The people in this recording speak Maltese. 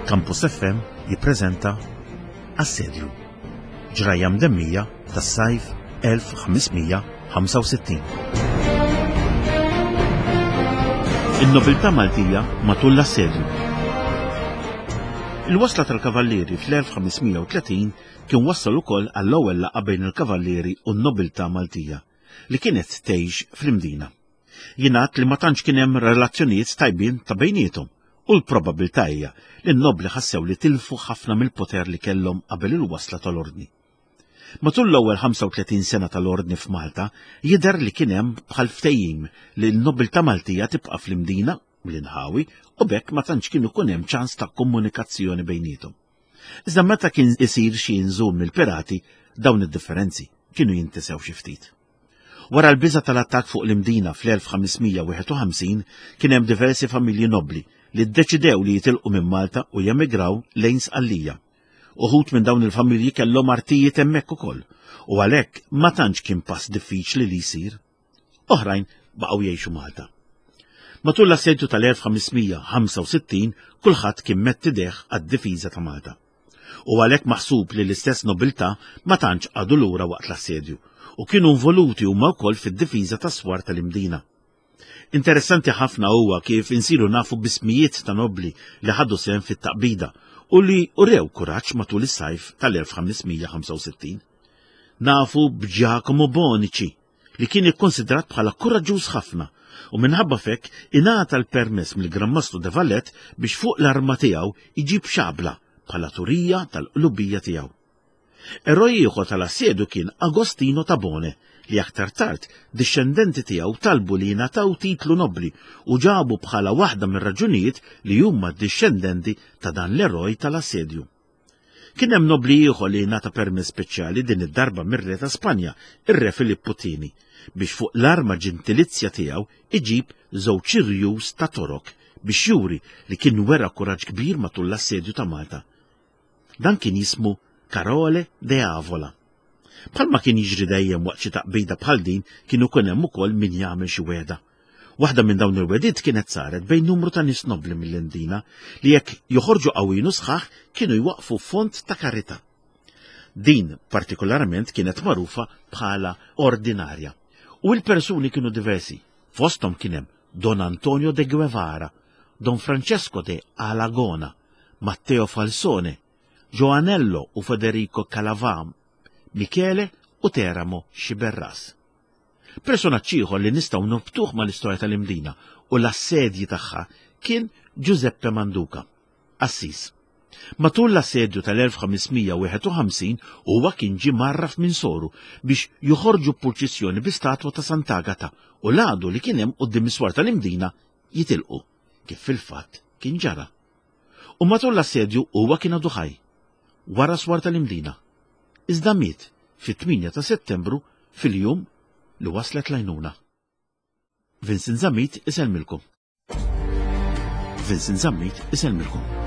Campus FM jippreżenta Assedju. Ġrajja mdemmija tas-sajf 1565. In-nobiltà Maltija matul l-assedju. Il-wasla tal-Kavallieri fl-1530 kien wassal ukoll għall-ewwel laqgħa bejn il-Kavallieri u n-nobiltà Maltija li kienet tgħix fl-Imdina. Jingħad li ma tantx kien hemm relazzjonijiet tajbin ta' bejniethom u l-probabbiltà hija li n-nobbli ħassew li tilfu ħafna mill-poter li kellhom qabel il-wasla tal-Ordni. Matul l-ewwel 35 sena tal-Ordni f'Malta jidher li kien hemm bħal ftehim li n-nobiltà Maltija tibqa' fl-Imdina u l-inħawi u b'hekk ma tantx kien ikun hemm ċans ta' komunikazzjoni bejniethom. Iżda meta kien isir xi inżul mill-pirati, dawn id-differenzi kienu jintesew xi ftit. Wara l-biża' tal-attakk fuq l-Imdina fl-1551 kien hemm diversi familji nobbli li ddeċidew li jitilqu minn Malta u jemigraw lejn Sqallija. Uħud minn dawn il-familji kellhom artijiet hemmhekk ukoll u għalhekk ma tantx kien pass diffiċli li jsir. Oħrajn baqgħu jgħixu Malta. Matul l-assedju tal-1565 kulħadd kien mett idejh għad-difiża ta' Malta. U għalhekk maħsub li l-istess nobiltà ma tantx qagħdu lura waqt l-assedju u kienu involuti huma wkoll fid-difiża tas-swar tal-Imdina. Interessanti ħafna huwa kif insiru nafu b'ismijiet ta' nobbli li ħadu sehem fit-taqbida u li urew kuraġġ matul is-sajf tal-1565. Nafu b'Giacomo Bonici, li kien ikkonsidrat bħala kuraġġuż ħafna u minħabba f'hekk ingħata l-permess mill-Gran Mastru de Valette biex fuq l-arma tiegħu jġib xabla bħala turija tal-qlubija tiegħu. Eroj ieħor tal-assedju kien Agostino Tabone li aktar tard dixxendenti tiegħu talbu li jingħataw titlu nobbli u ġabu bħala waħda mir-raġunijiet li huma dixxendenti ta' dan l-eroj tal-assedju. Kien hemm nobbli ieħor li ngħata permess speċjali din id-darba mir-Re ta' Spanja, ir-Re Filippu Tieni, biex fuq l-arma ġentilizzja tiegħu iġib żewġ irjus ta' Torok biex juri li kien wera kuraġġ kbir matul l-assedju ta' Malta. Dan kien jismu Carole de Avola. Bħalma kien jiġri dejjem waqt xi taqbida bħal din kien ikun hemm ukoll min jagħmel xi wegħda. Waħda minn dawn il-wegħdiet kienet saret bejn numru ta' nies nobbli mill-Indina li jekk joħorġu qawwin u sħaħ kienu jwaqqfu fond ta' karità. Din partikolarment kienet magħrufa bħala ordinarja. U l-persuni kienu diversi. Fosthom kien hemm Don Antonio de Guevara, Don Francesco de Alagona, Matteo Falsone, Joanello u Federico Calavam, Michele u Teramo Sciberras. Personaġġ ieħor li nistgħu norbtuh mal-istorja tal-Imdina u l-assedji tagħha kien Giuseppe Manduca, qassis. Matul l-assedju tal-1551 huwa kien ġie mgħarraf minn soru biex joħorġu purċissjoni bi statwa ta' Sant'Agata u l-għadu li kien hemm quddiem is-swar tal-Imdina jitilqu, kif fil-fatt kien ġara. U matul l-assedju huwa kien għadu ħaj, wara swar tal-Imdina. Iżda miet fit-8 ta' Settembru fil-jum li waslet l-għajnuna. Vincent Zammit isellmilkom. Vincent Zammit isellmilkom.